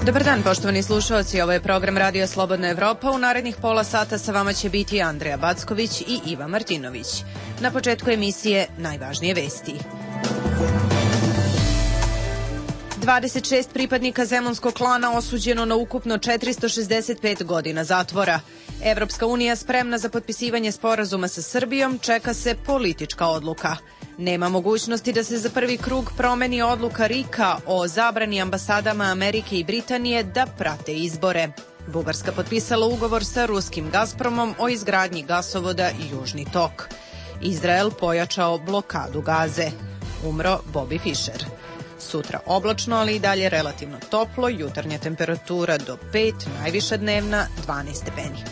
Dobar dan, poštovani slušalci, ovo je program Radio Slobodna Evropa. U narednih pola sata sa vama će biti Andreja Backović i Iva Martinović. Na početku emisije najvažnije vesti. 26 pripadnika zemunskog klana osuđeno na ukupno 465 godina zatvora. Evropska unija spremna za potpisivanje sporazuma sa Srbijom, čeka se politička odluka. Nema mogućnosti da se za prvi krug promeni odluka RIK-a o zabrani ambasadama Amerike i Britanije da prate izbore. Bugarska potpisala ugovor sa ruskim Gazpromom o izgradnji gasovoda Južni tok. Izrael pojačao blokadu Gaze. Umro Bobby Fischer. Sutra oblačno, ali i dalje relativno toplo, jutarnja temperatura do 5, najviša dnevna 12 stepeni.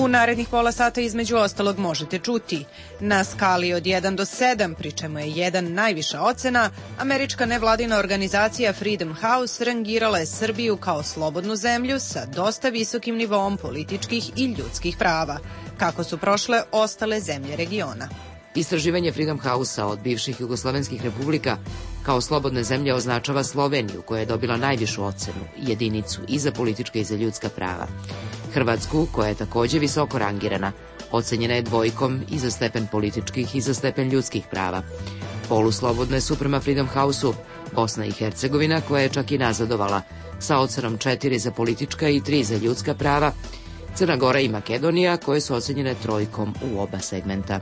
U narednih pola sata između ostalog možete čuti: na skali od 1 do 7, pri čemu je 1 najviša ocena, američka nevladina organizacija Freedom House rangirala je Srbiju kao slobodnu zemlju sa dosta visokim nivoom političkih i ljudskih prava. Kako su prošle ostale zemlje regiona? Istraživanje Freedom House-a od bivših jugoslovenskih republika kao slobodne zemlje označava Sloveniju, koja je dobila najvišu ocenu, jedinicu i za politička i za ljudska prava. Hrvatsku, koja je takođe visoko rangirana, ocenjena je 2 i za stepen političkih i za stepen ljudskih prava. Poluslobodne su prema Freedom House-u Bosna i Hercegovina, koja je čak i nazadovala sa ocenom 4 za politička i 3 za ljudska prava, Crna Gora i Makedonija, koje su ocenjene 3 u oba segmenta.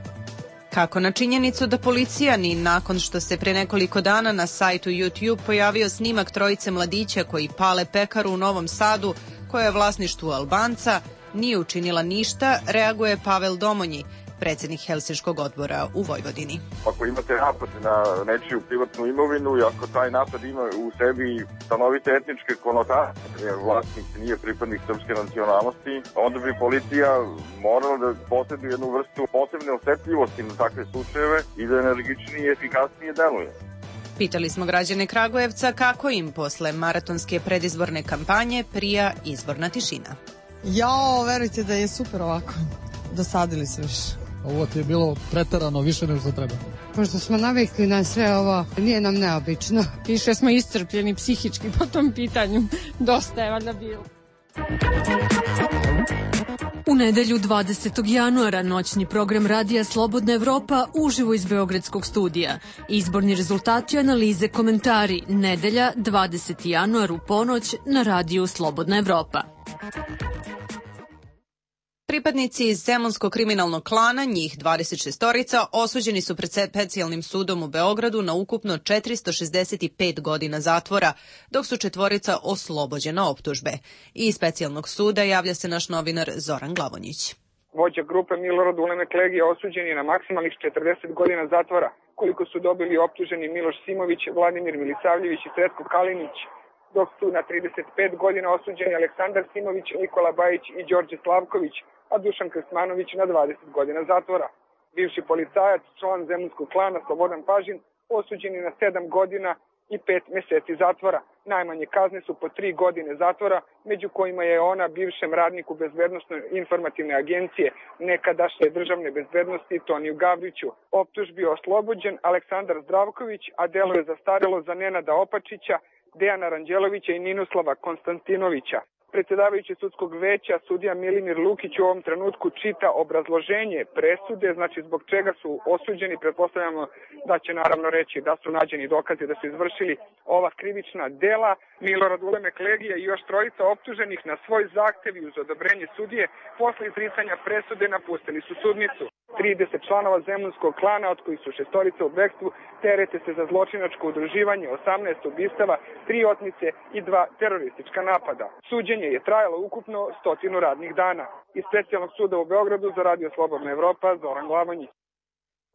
Kako na činjenicu da policija ni nakon što se pre nekoliko dana na sajtu YouTube pojavio snimak 3 mladića koji pale pekaru u Novom Sadu, koja je vlasništvu Albanca, nije učinila ništa, reaguje Pavel Domonji, predsjednik Helsinškog odbora u Vojvodini. Ako imate napad na nečiju privatnu imovinu i ako taj napad ima u sebi stanovite etničke konotacije, vlasnik nije pripadnik srpske nacionalnosti, onda bi policija morala da posjeduje jednu vrstu posebne osetljivosti na takve slučajeve i da energičnije i efikasnije deluje. Pitali smo građane Kragujevca kako im posle maratonske predizborne kampanje prija izborna tišina. Verujte da je super ovako. Dosadili su više. Ovo ti je bilo preterano više nego što treba. Pošto smo navikli na sve ovo, nije nam neobično. Više smo iscrpljeni psihički po tom pitanju. Dosta je valjda bilo. U nedelju 20. januara noćni program Radija Slobodna Evropa uživo iz Beogradskog studija. Izborni rezultati, analize, komentari. Nedelja 20. januar u ponoć na Radiju Slobodna Evropa. Pripadnici iz zemunskog kriminalnog klana, njih 26-orica, osuđeni su pred specijalnim sudom u Beogradu na ukupno 465 godina zatvora, dok su 4 oslobođena optužbe. Iz specijalnog suda javlja se naš novinar Zoran Glavonjić. Vođa grupe Milorad Ulemek Legija osuđen je na maksimalnih 40 godina zatvora, koliko su dobili optuženi Miloš Simović, Vladimir Milisavljević i Sretko Kalinić, dok su na 35 godina osuđeni Aleksandar Simović, Nikola Bajić i Đorđe Slavković, a Dušan Krstmanović na 20 godina zatvora. Bivši policajac, član zemunskog klana Slobodan Pažin, osuđen je na 7 godina i 5 meseci zatvora. Najmanje kazne su po 3 godine zatvora, među kojima je ona bivšem radniku Bezbednosno-informativne agencije nekadašnje državne bezbednosti Toniju Gavriću. Optužbi je oslobođen Aleksandar Zdravković, a delo je zastarelo za Nenada Opačića, Dejana Ranđelovića i Ninoslava Konstantinovića. Predsjedavajući sudskog veća, sudija Milimir Lukić u ovom trenutku čita obrazloženje presude, znači zbog čega su osuđeni. Pretpostavljamo da će naravno reći da su nađeni dokazi da su izvršili ova krivična dela. Milorad Ulemek Legija i još 3 optuženih na svoj zahtev i uz odobrenje sudije posle izricanja presude napustili su sudnicu. 30 članova zemunskog klana, od kojih su 6 u bekstvu, terete se za zločinačko udruživanje, 18 ubistava, 3 otmice i 2 teroristička napada. Suđenje je trajalo ukupno 100 radnih dana. Iz specijalnog suda u Beogradu za Radio Slobodna Evropa, Zoran Glavonjić.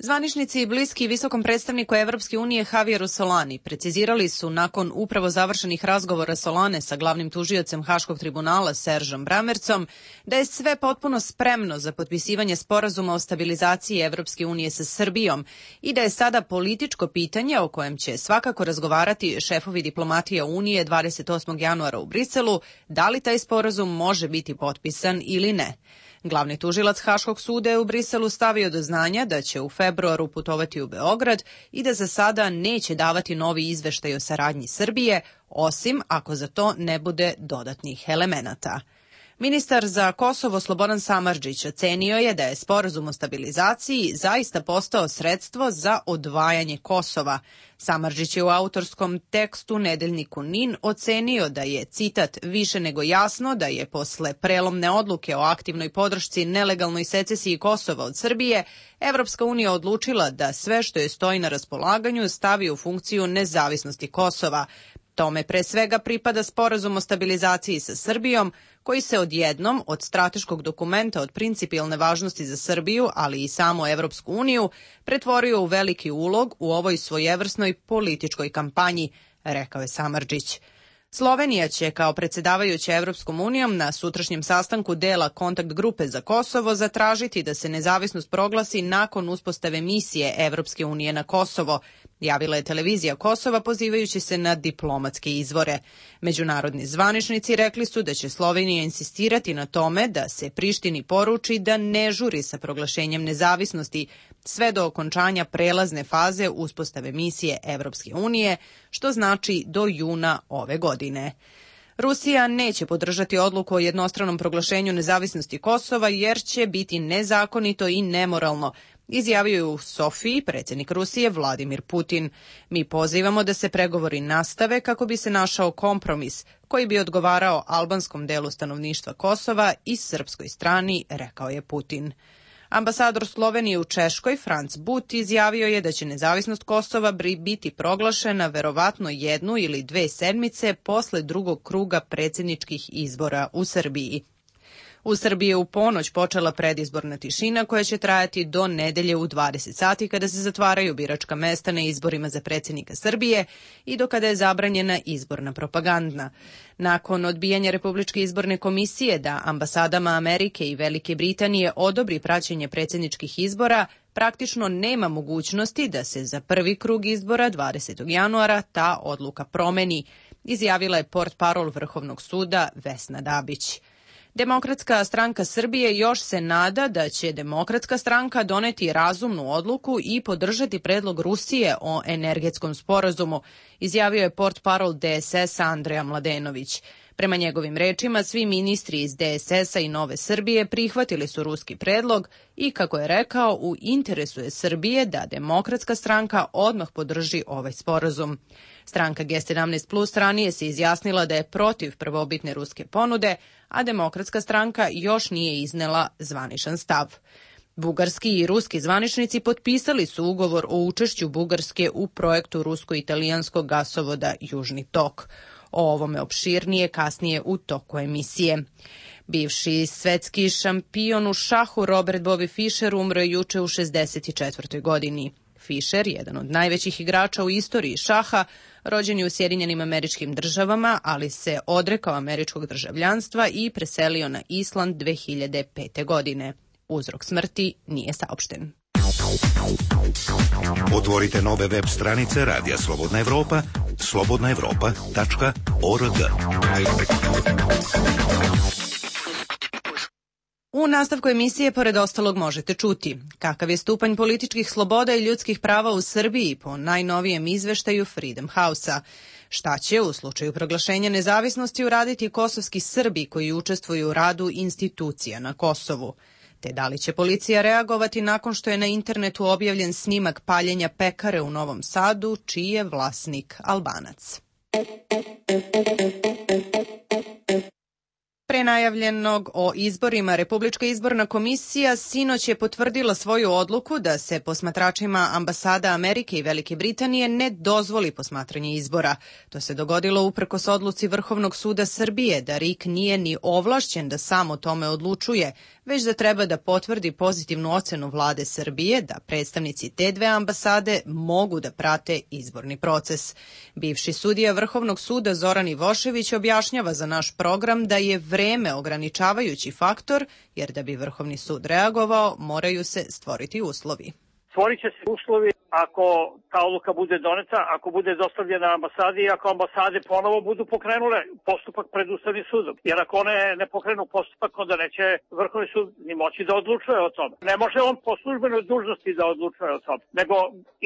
Zvaničnici i bliski visokom predstavniku Evropske unije Javieru Solani precizirali su nakon upravo završenih razgovora Solane sa glavnim tužiocem Haškog tribunala Seržom Bramercom da je sve potpuno spremno za potpisivanje sporazuma o stabilizaciji Evropske unije sa Srbijom i da je sada političko pitanje o kojem će svakako razgovarati šefovi diplomatija Unije 28. januara u Briselu, da li taj sporazum može biti potpisan ili ne. Glavni tužilac Haškog suda je u Briselu stavio do znanja da će u februaru putovati u Beograd i da za sada neće davati novi izveštaj o saradnji Srbije, osim ako za to ne bude dodatnih elemenata. Ministar za Kosovo Slobodan Samardžić ocenio je da je sporazum o stabilizaciji zaista postao sredstvo za odvajanje Kosova. Samardžić je u autorskom tekstu nedeljniku NIN ocenio da je, citat, više nego jasno da je posle prelomne odluke o aktivnoj podršci nelegalnoj secesiji Kosova od Srbije, Evropska unija odlučila da sve što je stoji na raspolaganju stavi u funkciju nezavisnosti Kosova. Tome pre svega pripada sporazum o stabilizaciji sa Srbijom, koji se odjednom od strateškog dokumenta od principijelne važnosti za Srbiju, ali i samo Evropsku uniju, pretvorio u veliki ulog u ovoj svojevrsnoj političkoj kampanji, rekao je Samardžić. Slovenija će kao predsjedavajuća Evropskom unijom na sutrašnjem sastanku dela kontakt grupe za Kosovo zatražiti da se nezavisnost proglasi nakon uspostave misije Evropske unije na Kosovo, javila je televizija Kosova pozivajući se na diplomatske izvore. Međunarodni zvaničnici rekli su da će Slovenija insistirati na tome da se Prištini poruči da ne žuri sa proglašenjem nezavisnosti sve do okončanja prelazne faze uspostave misije Evropske unije, što znači do juna ove godine. Rusija neće podržati odluku o jednostranom proglašenju nezavisnosti Kosova jer će biti nezakonito i nemoralno, izjavio je u Sofiji predsjednik Rusije Vladimir Putin. Mi pozivamo da se pregovori nastave kako bi se našao kompromis koji bi odgovarao albanskom delu stanovništva Kosova i srpskoj strani, rekao je Putin. Ambasador Slovenije u Češkoj, Franc But, izjavio je da će nezavisnost Kosova biti proglašena verovatno 1 ili 2 sedmice posle drugog kruga predsjedničkih izbora u Srbiji. U Srbiji je u ponoć počela predizborna tišina koja će trajati do nedelje u 20 sati kada se zatvaraju biračka mesta na izborima za predsjednika Srbije i do kada je zabranjena izborna propaganda. Nakon odbijanja Republičke izborne komisije da ambasadama Amerike i Velike Britanije odobri praćenje predsjedničkih izbora, praktično nema mogućnosti da se za prvi krug izbora 20. januara ta odluka promeni, izjavila je portparol Vrhovnog suda Vesna Dabić. Demokratska stranka Srbije još se nada da će Demokratska stranka doneti razumnu odluku i podržati predlog Rusije o energetskom sporazumu, izjavio je portparol DSS-a Andreja Mladenović. Prema njegovim rečima, svi ministri iz DSS-a i Nove Srbije prihvatili su ruski predlog i, kako je rekao, u interesu je Srbije da Demokratska stranka odmah podrži ovaj sporazum. Stranka G17 Plus ranije se izjasnila da je protiv prvobitne ruske ponude, a Demokratska stranka još nije iznela zvaničan stav. Bugarski i ruski zvaničnici potpisali su ugovor o učešću Bugarske u projektu rusko-italijanskog gasovoda Južni tok. O ovome opširnije kasnije u toku emisije. Bivši svetski šampion u šahu Robert Bobby Fischer umro je juče u 64. godini. Fischer, jedan od najvećih igrača u istoriji šaha, rođen je u Sjedinjenim Američkim Državama, ali se odrekao američkog državljanstva i preselio na Island 2005. godine. Uzrok smrti nije saopšten. Otvorite nove web stranice Radija Slobodna Evropa, slobodnaevropa.org. U nastavku emisije, pored ostalog, možete čuti kakav je stupanj političkih sloboda i ljudskih prava u Srbiji po najnovijem izveštaju Freedom House-a. Šta će u slučaju proglašenja nezavisnosti uraditi kosovski Srbi koji učestvuju u radu institucija na Kosovu? Te da li će policija reagovati nakon što je na internetu objavljen snimak paljenja pekare u Novom Sadu, čiji je vlasnik Albanac? Pre najavljenog o izborima, Republička izborna komisija sinoć je potvrdila svoju odluku da se posmatračima ambasada Amerike i Velike Britanije ne dozvoli posmatranje izbora. To se dogodilo uprkos odluci Vrhovnog suda Srbije da RIK nije ni ovlašćen da sam o tome odlučuje, već da treba da potvrdi pozitivnu ocenu vlade Srbije da predstavnici te dve ambasade mogu da prate izborni proces. Bivši sudija Vrhovnog suda Zoran Ivošević objašnjava za naš program da je vreme ograničavajući faktor, jer da bi Vrhovni sud reagovao, moraju se stvoriti uslovi. Stvorit će se uslovi ako ta odluka bude doneta, ako bude dostavljena ambasadi i ako ambasade ponovo budu pokrenule postupak pred Ustavnim sudom. Jer ako one ne pokrenu postupak, onda neće Vrhovni sud ni moći da odlučuje o tome. Ne može on po službenoj dužnosti da odlučuje o tome, nego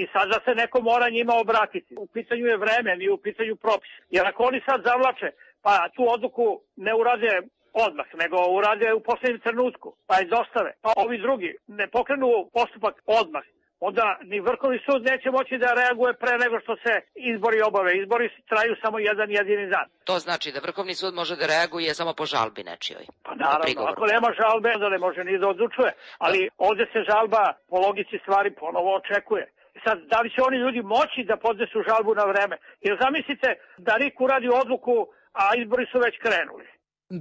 i sada se neko mora njima obratiti. U pitanju je vreme, nije u pitanju propis. Jer ako oni sad zavlače, pa tu odluku ne urade odmah, nego urade u poslednjem trenutku, pa je dostave, pa ovi drugi ne pokrenu postupak odmah, onda ni Vrhovni sud neće moći da reaguje pre nego što se izbori obave. Izbori traju samo jedan jedini dan. To znači da Vrhovni sud može da reaguje samo po žalbi nečijoj. Pa naravno, ako nema žalbe, onda ne može ni da odlučuje. Ali ovde se žalba po logici stvari ponovo očekuje. Sad, da li će oni ljudi moći da podnesu žalbu na vreme? Jer zamislite da RIK uradi odluku, a izbori su već krenuli.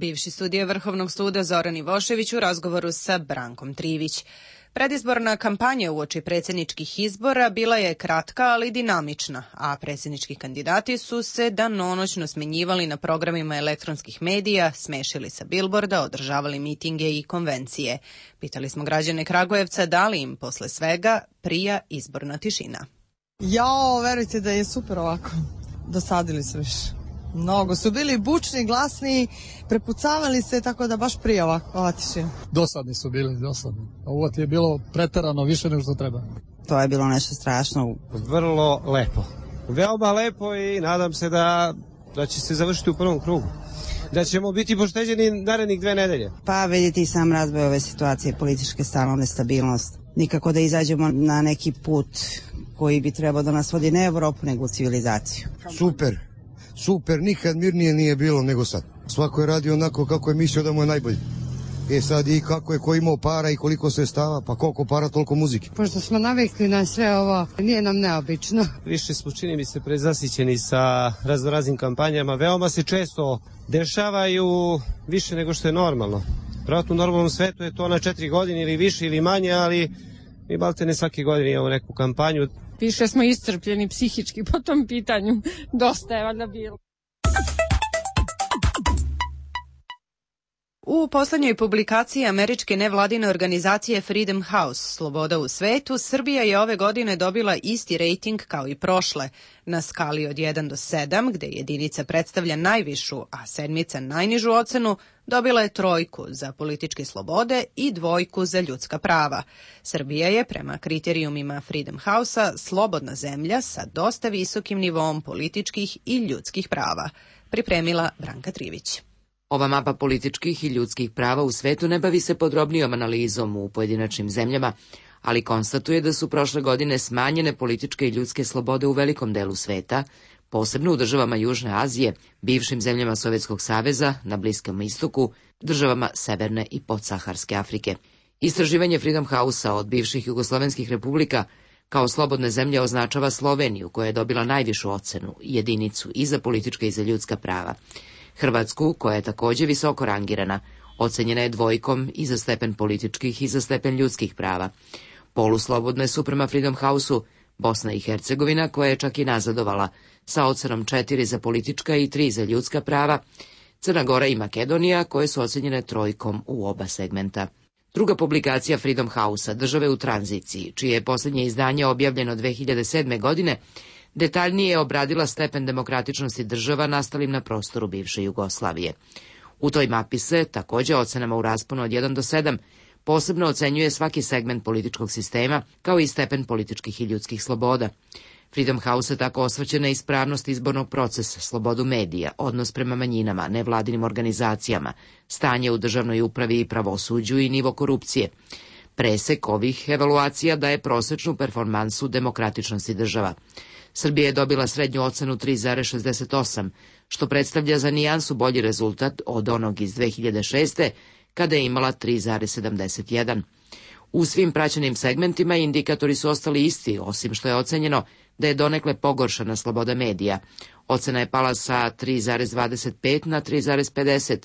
Bivši sudija Vrhovnog suda Zoran Ivošević u razgovoru sa Brankom Trivić. Predizborna kampanja uoči predsjedničkih izbora bila je kratka, ali dinamična, a predsjednički kandidati su se danonoćno smenjivali na programima elektronskih medija, smešili sa bilborda, održavali mitinge i konvencije. Pitali smo građane Kragujevca da li im posle svega prija izborna tišina. Jao, verujte da je super ovako. Dosadili su više. Mnogo su bili bučni, glasni, prepucavali se, tako da baš prije ova tišina. Dosadni su bili, dosadni. Ovo ti je bilo preterano više nego što treba. To je bilo nešto strašno. Vrlo lepo. Veoma lepo i nadam se da će se završiti u prvom krugu. Da ćemo biti pošteđeni narednih 2 nedelje. Pa vidite i sam razvoj ove situacije, političke stalno nestabilnost. Nikako da izađemo na neki put koji bi trebao da nas vodi ne Evropu, nego u civilizaciju. Super, nikad mirnije nije bilo nego sad. Svako je radio onako kako je mislio da mu je najbolje. Sad i kako je ko imao para i koliko sredstava, pa koliko para, toliko muzike. Pošto smo navikli na sve ovo, nije nam neobično. Više smo, čini mi se, prezasićeni sa raznoraznim kampanjama. Veoma se često dešavaju više nego što je normalno. Vratno u normalnom svetu je to na 4 godine ili više ili manje, ali mi balte ne svake godine imamo neku kampanju. Više smo iscrpljeni psihički po tom pitanju. Dosta je valjda bilo. U poslednjoj publikaciji američke nevladine organizacije Freedom House, Sloboda u svetu, Srbija je ove godine dobila isti rejting kao i prošle. Na skali od 1 do 7, gde jedinica predstavlja najvišu, a sedmica najnižu ocenu, dobila je 3 za političke slobode i 2 za ljudska prava. Srbija je, prema kriterijumima Freedom House-a, slobodna zemlja sa dosta visokim nivoom političkih i ljudskih prava. Pripremila Branka Trivić. Ova mapa političkih i ljudskih prava u svetu ne bavi se podrobnijom analizom u pojedinačnim zemljama, ali konstatuje da su prošle godine smanjene političke i ljudske slobode u velikom delu sveta, posebno u državama Južne Azije, bivšim zemljama Sovjetskog saveza, na Bliskom istoku, državama Severne i podsaharske Afrike. Istraživanje Freedom House-a od bivših jugoslovenskih republika kao slobodne zemlje označava Sloveniju, koja je dobila najvišu ocenu, jedinicu i za politička i za ljudska prava. Hrvatsku, koja je takođe visoko rangirana, ocenjena je 2 i za stepen političkih i za stepen ljudskih prava. Poluslobodne su prema Freedom House-u Bosna i Hercegovina, koja je čak i nazadovala, sa ocenom 4 za politička i 3 za ljudska prava, Crna Gora i Makedonija, koje su ocenjene 3 u oba segmenta. Druga publikacija Freedom House-a, Države u tranziciji, čije je poslednje izdanje objavljeno 2007. godine, detaljnije je obradila stepen demokratičnosti država nastalim na prostoru bivše Jugoslavije. U toj mapi se, takođe ocenama u rasponu od 1 do 7, posebno ocenjuje svaki segment političkog sistema, kao i stepen političkih i ljudskih sloboda. Freedom House se tako osvrće na ispravnost izbornog procesa, slobodu medija, odnos prema manjinama, nevladinim organizacijama, stanje u državnoj upravi i pravosuđu i nivo korupcije. Presek ovih evaluacija daje prosečnu performansu demokratičnosti država. Srbija je dobila srednju ocenu 3,68, što predstavlja za nijansu bolji rezultat od onog iz 2006. kada je imala 3,71. U svim praćenim segmentima indikatori su ostali isti, osim što je ocenjeno da je donekle pogoršana sloboda medija. Ocena je pala sa 3,25 na 3,50,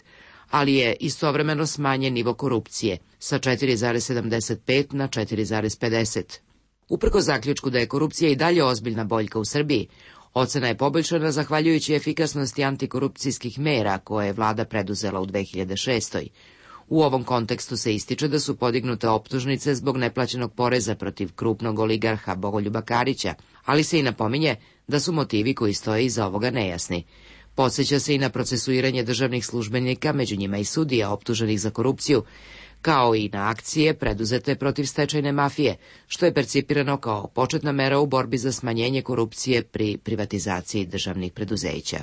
ali je istovremeno smanjen nivo korupcije sa 4,75 na 4,50. Uprkos zaključku da je korupcija i dalje ozbiljna boljka u Srbiji, ocena je poboljšana zahvaljujući efikasnosti antikorupcijskih mera koje je vlada preduzela u 2006. U ovom kontekstu se ističe da su podignute optužnice zbog neplaćenog poreza protiv krupnog oligarha Bogoljuba Karića, ali se i napominje da su motivi koji stoje iza ovoga nejasni. Podseća se i na procesuiranje državnih službenika, među njima i sudija optuženih za korupciju, kao i na akcije preduzete protiv stečajne mafije, što je percipirano kao početna mera u borbi za smanjenje korupcije pri privatizaciji državnih preduzeća.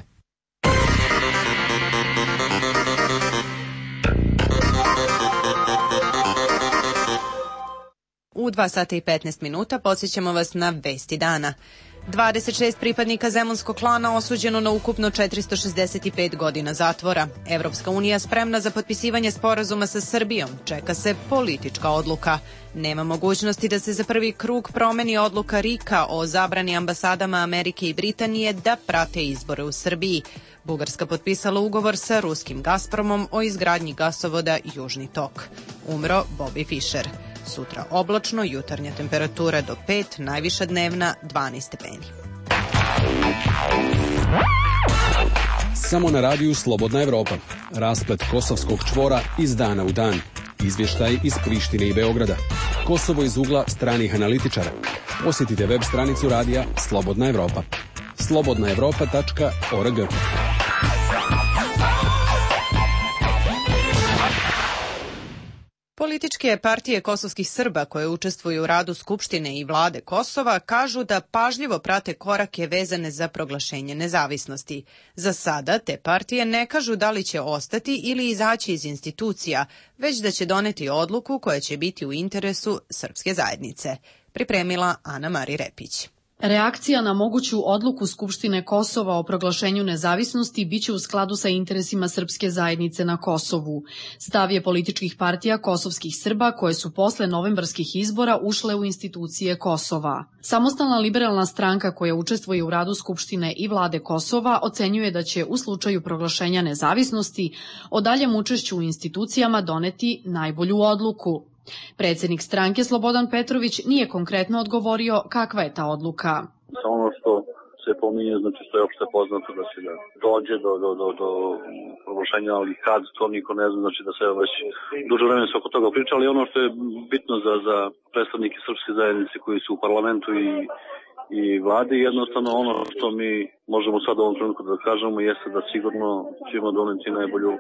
U 2 sata i 15 minuta podsjećamo vas na vesti dana. 26 pripadnika zemunskog klana osuđeno na ukupno 465 godina zatvora. Evropska unija spremna za potpisivanje sporazuma sa Srbijom. Čeka se politička odluka. Nema mogućnosti da se za prvi krug promeni odluka RIK-a o zabrani ambasadama Amerike i Britanije da prate izbore u Srbiji. Bugarska potpisala ugovor sa ruskim Gazpromom o izgradnji gasovoda Južni tok. Umro Bobby Fischer. Sutra oblačno, jutarnja temperatura do 5, najviša dnevna 12 stepeni. Samo na radiju Slobodna Evropa. Rasplet kosovskog čvora iz dana u dan. Izvještaj iz Prištine i Beograda. Kosovo iz ugla stranih analitičara. Posjetite web stranicu radija Slobodna Evropa. slobodnaevropa.org. Političke partije kosovskih Srba koje učestvuju u radu Skupštine i vlade Kosova kažu da pažljivo prate korake vezane za proglašenje nezavisnosti. Za sada te partije ne kažu da li će ostati ili izaći iz institucija, već da će doneti odluku koja će biti u interesu srpske zajednice. Pripremila Ana Mari Repić. Reakcija na moguću odluku Skupštine Kosova o proglašenju nezavisnosti biće u skladu sa interesima srpske zajednice na Kosovu. Stav je političkih partija kosovskih Srba koje su posle novembarskih izbora ušle u institucije Kosova. Samostalna liberalna stranka koja učestvuje u radu Skupštine i vlade Kosova ocenjuje da će u slučaju proglašenja nezavisnosti o daljem učešću u institucijama doneti najbolju odluku. Predsjednik stranke Slobodan Petrović nije konkretno odgovorio kakva je ta odluka. Ono što se pominje, znači što je opšte poznato da će da dođe do proglašenja, ali kad to niko ne zna, znači da se već duže vremena se oko toga priča, ali ono što je bitno za predstavnike srpske zajednice koji su u parlamentu i vladi, jednostavno ono što mi možemo sad u ovom trenutku da kažemo jeste da sigurno ćemo doneti najbolju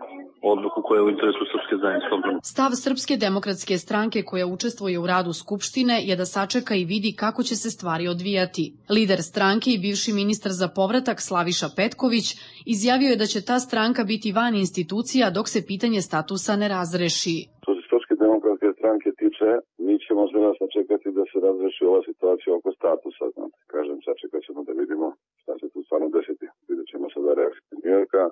odluku koja je u interesu srpske zajednice. Stav Srpske demokratske stranke koja učestvuje u radu Skupštine je da sačeka i vidi kako će se stvari odvijati. Lider stranke i bivši ministar za povratak Slaviša Petković izjavio je da će ta stranka biti van institucija dok se pitanje statusa ne razreši. Što se Srpske demokratske stranke tiče, mi ćemo sada sačekati da se razreši ova situacija oko statusa. Znate, kažem, sačekat ćemo da vidimo šta će tu stvarno desiti. Vidjet ćemo sada reakciju Njujorka,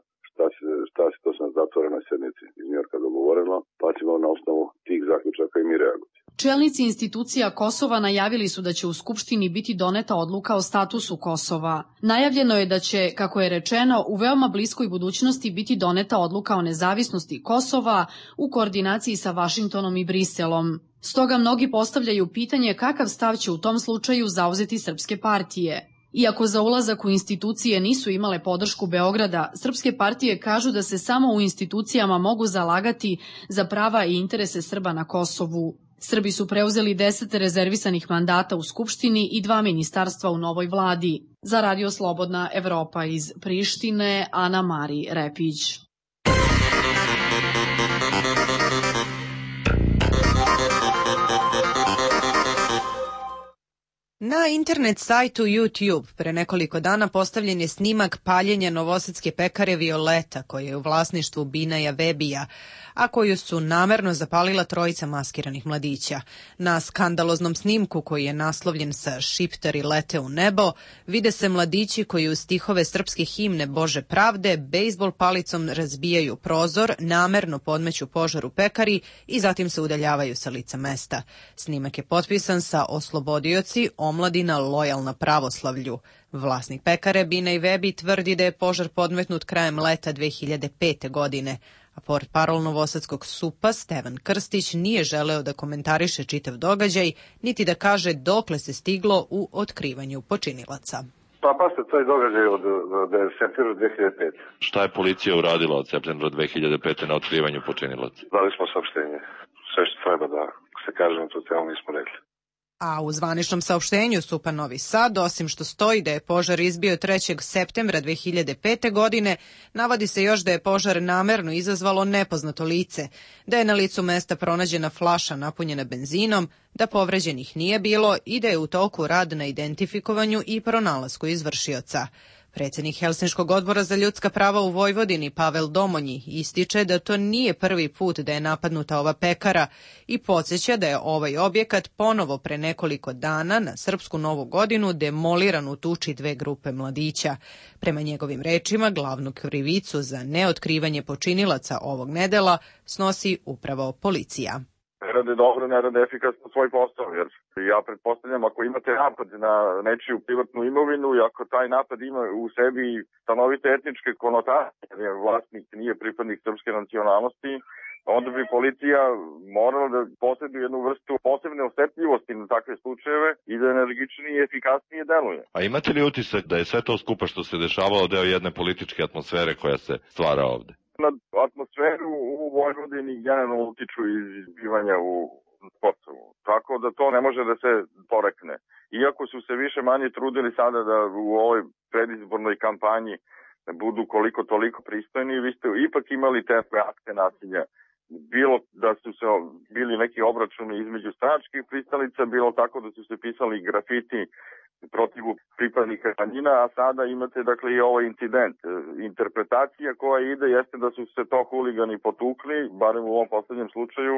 šta se to sam zatvorenoj sjednici iz Njujorka dogovoreno, pa ćemo na osnovu tih zaključaka i mi reagovati. Čelnici institucija Kosova najavili su da će u Skupštini biti doneta odluka o statusu Kosova. Najavljeno je da će, kako je rečeno, u veoma bliskoj budućnosti biti doneta odluka o nezavisnosti Kosova u koordinaciji sa Vašingtonom i Briselom. Stoga mnogi postavljaju pitanje kakav stav će u tom slučaju zauzeti srpske partije. Iako za ulazak u institucije nisu imale podršku Beograda, srpske partije kažu da se samo u institucijama mogu zalagati za prava i interese Srba na Kosovu. Srbi su preuzeli 10 rezervisanih mandata u Skupštini i 2 ministarstva u novoj vladi. Za Radio Slobodna Evropa iz Prištine, Ana Mari Repić. Na internet sajtu YouTube pre nekoliko dana postavljen je snimak paljenja novosadske pekare Violeta, koja je u vlasništvu Binaja Vebija, a koju su namerno zapalila trojica maskiranih mladića. Na skandaloznom snimku, koji je naslovljen sa "Šiptari lete u nebo", vide se mladići koji uz stihove srpske himne Bože pravde bejzbol palicom razbijaju prozor, namerno podmeću požar u pekari i zatim se udaljavaju sa lica mesta. Snimak je potpisan sa "Oslobodioci, omladina lojalna pravoslavlju". Vlasnik pekare Binaj Vebi tvrdi da je požar podmetnut krajem leta 2005. godine, a portparol novosadskog SUP-a Stevan Krstić nije želeo da komentariše čitav događaj, niti da kaže dokle se stiglo u otkrivanju počinilaca. Pa se taj događaj od septembra 2005. Šta je policija uradila od septembra 2005. na otkrivanju počinilaca? Dali smo saopštenje. Sve što treba da se kaže na tu temu nismo rekli. A u zvaničnom saopštenju SUP-a Novi Sad, osim što stoji da je požar izbio 3. septembra 2005. godine, navodi se još da je požar namerno izazvalo nepoznato lice, da je na licu mesta pronađena flaša napunjena benzinom, da povređenih nije bilo i da je u toku rad na identifikovanju i pronalasku izvršioca. Predsjednik Helsinškog odbora za ljudska prava u Vojvodini, Pavel Domonji, ističe da to nije prvi put da je napadnuta ova pekara i podsjeća da je ovaj objekat ponovo pre nekoliko dana na Srpsku Novu godinu demoliran u tuči dve grupe mladića. Prema njegovim rečima, glavnu krivicu za neotkrivanje počinilaca ovog nedela snosi upravo policija. Ne rade dobro, ne rade efikasno svoj posao, jer ja pretpostavljam ako imate napad na nečiju privatnu imovinu i ako taj napad ima u sebi stanovite etničke konotacije, jer vlasnik nije pripadnik srpske nacionalnosti, onda bi policija morala da posjeduje jednu vrstu posebne osetljivosti na takve slučajeve i da energičnije i efikasnije deluje. A imate li utisak da je sve to skupa što se dešavalo deo jedne političke atmosfere koja se stvara ovde? Na atmosferu u Vojvodini generalno utiču izbivanja u Kosovu. Tako da to ne može da se porekne. Iako su se više manje trudili sada da u ovoj predizbornoj kampanji budu koliko toliko pristojni, vi ste ipak imali te akte nasilja. Bilo da su se bili neki obračuni između stranačkih pristalica, bilo tako da su se pisali grafiti protiv pripadnika manjina, a sada imate dakle i ovaj incident. Interpretacija koja ide jeste da su se to huligani potukli, barem u ovom poslednjem slučaju,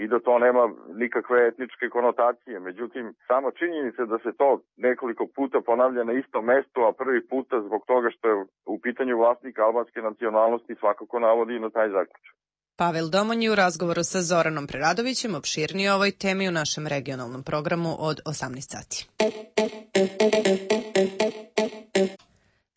i da to nema nikakve etničke konotacije. Međutim, samo činjenica da se to nekoliko puta ponavlja na istom mestu, a prvi puta zbog toga što je u pitanju vlasnika albanske nacionalnosti svakako navodi i na taj zaključak. Pavel Domonji u razgovoru sa Zoranom Preradovićem opširnije o ovoj temi u našem regionalnom programu od 18 sati.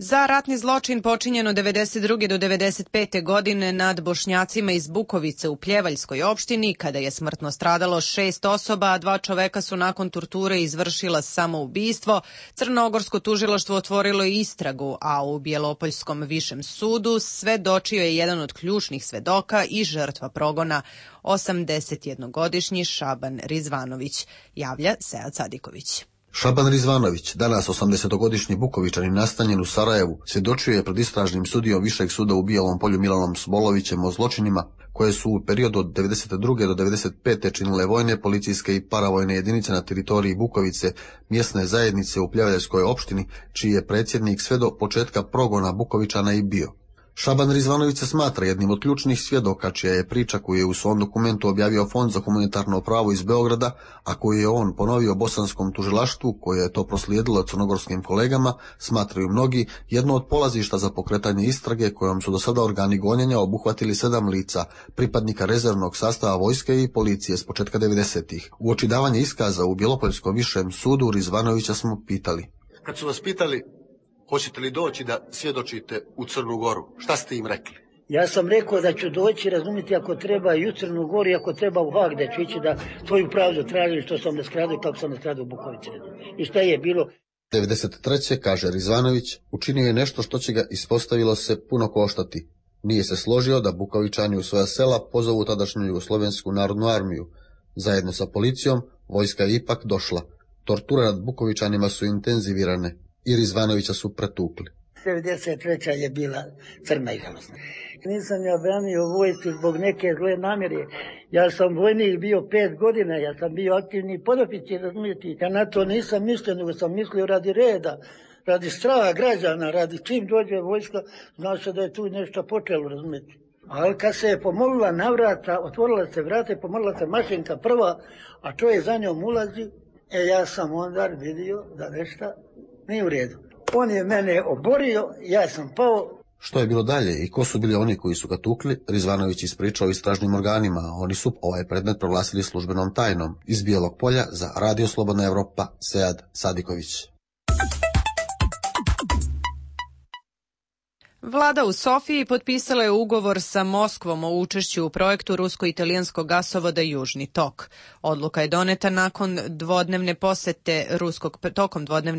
Za ratni zločin počinjen od 92. do 95. godine nad Bošnjacima iz Bukovice u Pljevaljskoj opštini, kada je smrtno stradalo 6 osoba, a 2 čoveka su nakon torture izvršila samoubistvo, Crnogorsko tužilaštvo otvorilo istragu, a u Bjelopoljskom višem sudu svedočio je jedan od ključnih svedoka i žrtva progona, 81-godišnji Šaban Rizvanović, javlja Sead Sadiković. Šaban Rizvanović, danas 80-godišnji Bukovičanin nastanjen u Sarajevu, svjedočio je pred istražnim sudijom Višeg suda u Bijelom Polju Milanom Smolovićem o zločinima koje su u periodu od 92. do 95. činile vojne, policijske i paravojne jedinice na teritoriji Bukovice, mjesne zajednice u Pljevaljskoj opštini, čiji je predsjednik sve do početka progona Bukovičana i bio. Šaban Rizvanović se smatra jednim od ključnih svjedoka, čija je priča koju je u svom dokumentu objavio Fond za humanitarno pravo iz Beograda, a koju je on ponovio bosanskom tužilaštvu, koje je to proslijedilo crnogorskim kolegama, smatraju mnogi jedno od polazišta za pokretanje istrage kojom su do sada organi gonjenja obuhvatili 7 lica, pripadnika rezervnog sastava vojske i policije s početka 90-ih. U očidavanje iskaza u Bjelopoljskom višem sudu Rizvanovića smo pitali. Kad su vas pitali hoćete li doći da svjedočite u Crnu Goru, šta ste im rekli? Ja sam rekao da ću doći, razumjeti, ako treba i u Crnu Goru, i ako treba u Hag, da ću ići da svoju pravdu tražim što sam nastradao i kako sam nastradao u Bukovici. I šta je bilo? 93. kaže Rizvanović, učinio je nešto što će ga, ispostavilo se, puno koštati. Nije se složio da Bukovičani u svoja sela pozovu tadašnju Jugoslovensku narodnu armiju. Zajedno sa policijom, vojska je ipak došla. Torture nad Bukovičanima su intenzivirane i Rizvanovića su pretukli. 93. je bila crna i žalostna. Nisam ja branio vojsku zbog neke zle namjere. Ja sam vojnik bio 5 godina, ja sam bio aktivni podoficir, razumijete. Ja na to nisam mislio, nego sam mislio radi reda, radi straha građana, radi čim dođe vojska, zna se da je tu nešto počelo, razumijete. Ali kad se je pomolila na vrata, otvorila se vrata i pomolila se mašinka prva, a čovjek za njom ulazi, ja sam onda vidio da nešto nije u redu. On je mene oborio, ja sam pao. Što je bilo dalje i ko su bili oni koji su ga tukli, Rizvanović ispričao istražnim organima. Oni su ovaj predmet proglasili službenom tajnom. Iz Bijelog Polja za Radio Slobodna Evropa, Sead Sadiković. Vlada u Sofiji potpisala je ugovor sa Moskvom o učešću u projektu rusko-italijanskog gasovoda Južni tok. Odluka je doneta tokom dvodnevne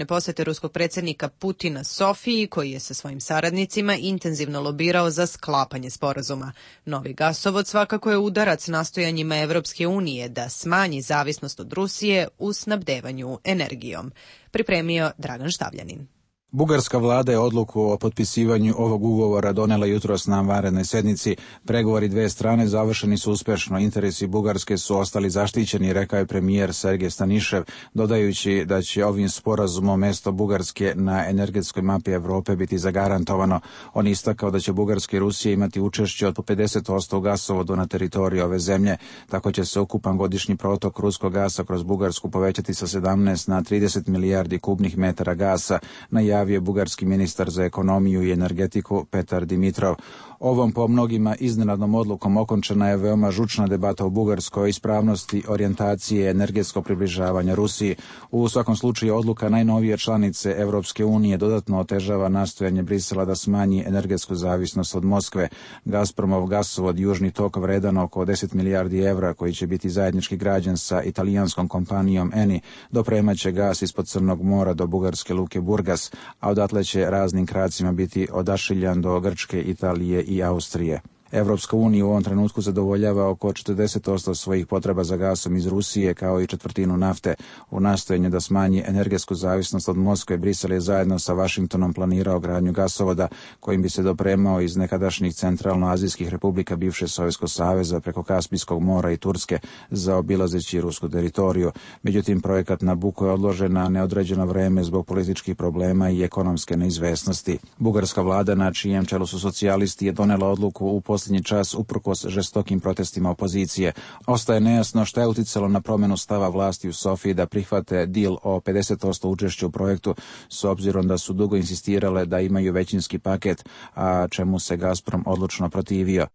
posete ruskog predsjednika Putina Sofiji, koji je sa svojim saradnicima intenzivno lobirao za sklapanje sporazuma. Novi gasovod svakako je udarac nastojanjima Evropske unije da smanji zavisnost od Rusije u snabdevanju energijom. Pripremio Dragan Štavljanin. Bugarska vlada je odluku o potpisivanju ovog ugovora donela jutros na vanrednoj sednici. Pregovori dve strane završeni su uspešno. Interesi Bugarske su ostali zaštićeni, rekao je premijer Sergej Stanišev, dodajući da će ovim sporazumom mesto Bugarske na energetskoj mapi Evrope biti zagarantovano. On istakao da će Bugarska i Rusija imati učešće od po 50% u gasovodu na teritoriji ove zemlje. Tako će se ukupan godišnji protok ruskog gasa kroz Bugarsku povećati sa 17 na 30 milijardi kubnih metara gasa, najavio je bugarski ministar za ekonomiju i energetiku Petar Dimitrov. Ovom po mnogima iznenadnom odlukom okončena je veoma žučna debata u Bugarskoj o ispravnosti orijentacije energetskog približavanja Rusiji. U svakom slučaju odluka najnovije članice Evropske unije dodatno otežava nastojanje Brisela da smanji energetsku zavisnost od Moskve. Gazpromov gasovod Južni tok vredan oko 10 milijardi evra, koji će biti zajednički građen sa italijanskom kompanijom Eni, dopremaće gas ispod Crnog mora do bugarske luke Burgas, a odatle će raznim kracima biti odašiljan do Grčke, Italije i Austrije. Evropska unija u ovom trenutku zadovoljava oko 40% svojih potreba za gasom iz Rusije, kao i četvrtinu nafte. U nastojanju da smanji energetsku zavisnost od Moskve, Brisel je zajedno sa Vašingtonom planirao gradnju gasovoda kojim bi se dopremao iz nekadašnjih centralnoazijskih republika bivše Sovjetskog saveza preko Kaspijskog mora i Turske, zaobilazeći rusku teritoriju. Međutim, projekat Nabucco je odložen na neodređeno vreme zbog političkih problema i ekonomske neizvesnosti. Bugarska vlada, na čijem čelu su socijalisti, je donela odluku u posljednji čas uprkos žestokim protestima opozicije. Ostaje nejasno šta je uticalo na promjenu stava vlasti u Sofiji da prihvate deal o 50% učešća u projektu, s obzirom da su dugo insistirale da imaju većinski paket, a čemu se Gazprom odlučno protivio.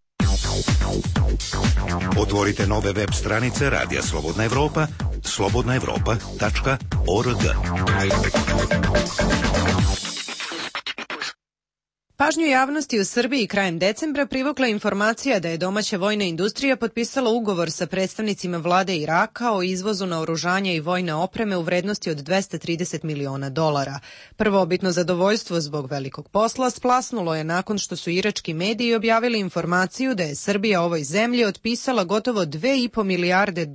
Otvorite nove web stranice Radija Slobodna Evropa, slobodnaevropa.org. Pažnju javnosti u Srbiji krajem decembra privukla informacija da je domaća vojna industrija potpisala ugovor sa predstavnicima vlade Iraka o izvozu naoružanja i vojne opreme u vrednosti od $230 miliona. Prvobitno zadovoljstvo zbog velikog posla splasnulo je nakon što su irački mediji objavili informaciju da je Srbija ovoj zemlji otpisala gotovo $2,5 milijarde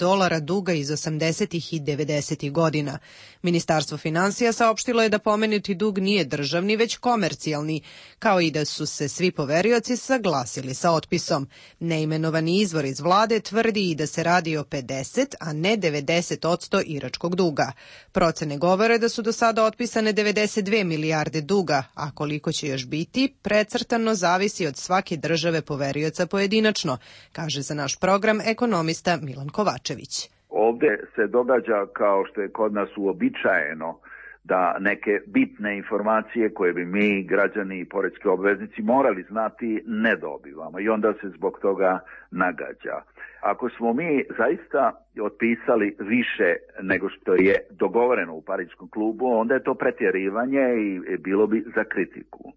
duga iz 80. i 90. godina. Ministarstvo finansija saopštilo je da pomenuti dug nije državni, već komercijalni, kao i da su se svi poverioci saglasili sa otpisom. Neimenovani izvor iz vlade tvrdi i da se radi o 50, a ne 90% iračkog duga. Procene govore da su do sada otpisane 92 milijarde duga, a koliko će još biti, precrtano zavisi od svake države poverioca pojedinačno, kaže za naš program ekonomista Milan Kovačević. Ovde se događa, kao što je kod nas uobičajeno, da neke bitne informacije koje bi mi, građani i poreski obveznici, morali znati, ne dobivamo i onda se zbog toga nagađa. Ako smo mi zaista otpisali više nego što je dogovoreno u Pariskom klubu, onda je to pretjerivanje i bilo bi za kritiku.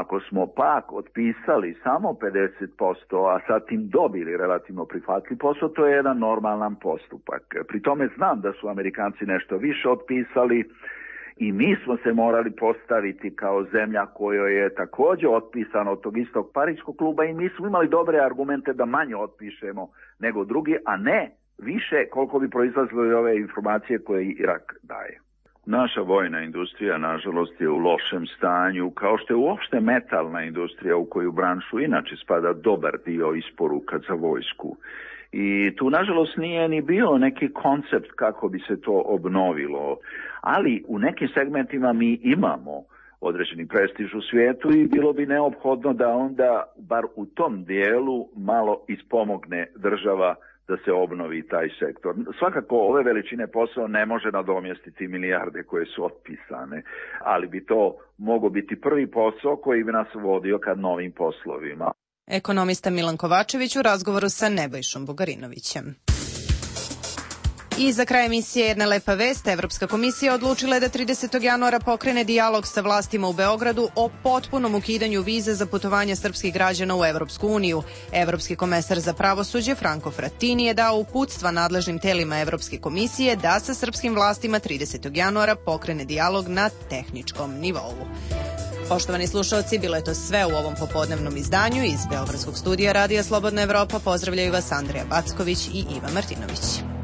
Ako smo pak otpisali samo 50%, a sad tim dobili relativno prihvatljiv posao, to je jedan normalan postupak. Pri tome znam da su Amerikanci nešto više otpisali i mi smo se morali postaviti kao zemlja kojoj je također otpisano od tog istog Pariškog kluba i mi smo imali dobre argumente da manje otpišemo nego drugi, a ne više koliko bi proizlazile ove informacije koje Irak daje. Naša vojna industrija, nažalost, je u lošem stanju, kao što je uopšte metalna industrija u koju branšu inače spada dobar dio isporuka za vojsku. I tu, nažalost, nije ni bio neki koncept kako bi se to obnovilo, ali u nekim segmentima mi imamo određeni prestiž u svijetu i bilo bi neophodno da onda, bar u tom dijelu, malo ispomogne država da se obnovi taj sektor. Svakako ove veličine posao ne može nadomjestiti milijarde koje su otpisane, ali bi to mogao biti prvi posao koji bi nas vodio ka novim poslovima. Ekonomista Milan Kovačević u razgovoru sa Nebojšom Bugarinovićem. I za kraj emisije jedna lepa vest. Evropska komisija odlučila je da 30. januara pokrene dijalog sa vlastima u Beogradu o potpunom ukidanju vize za putovanja srpskih građana u Evropsku uniju. Evropski komesar za pravosuđe Franco Frattini je dao uputstva nadležnim telima Evropske komisije da sa srpskim vlastima 30. januara pokrene dijalog na tehničkom nivou. Poštovani slušalci, bilo je to sve u ovom popodnevnom izdanju. Iz Beogradskog studija Radija Slobodna Evropa pozdravljaju vas Andreja Backović i Iva Martinović.